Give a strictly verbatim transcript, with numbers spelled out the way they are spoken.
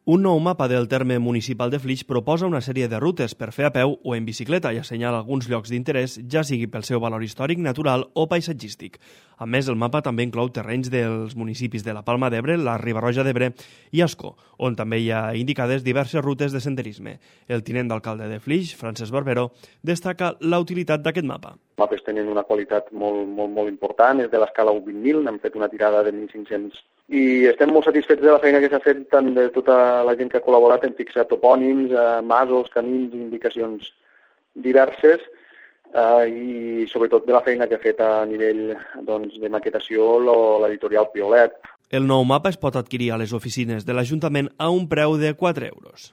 Un nou mapa del terme municipal de Flix proposa una sèrie de rutes per fer a peu o en bicicleta i assenyala alguns llocs d'interès, ja sigui pel seu valor històric, natural o paisatgístic. A més, el mapa també inclou terrenys dels municipis de la Palma d'Ebre, la Riba-roja d'Ebre i Ascó, on també hi ha indicades diverses rutes de senderisme. El tinent d'alcalde de Flix, Francesc Barbero, destaca la utilitat d'aquest mapa. Els mapes tenen una qualitat molt, molt, molt important, és de l'escala u vint mil, n'hem fet una tirada de mil cinc-cents i estem molt satisfets de la feina que s'ha fet tant de tota la gent que ha col·laborat en fixar topònims, eh, masos, camins, indicacions diverses eh, i sobretot de la feina que ha fet a nivell doncs, de maquetació l'editorial Piolet. El nou mapa es pot adquirir a les oficines de l'Ajuntament a un preu de quatre euros.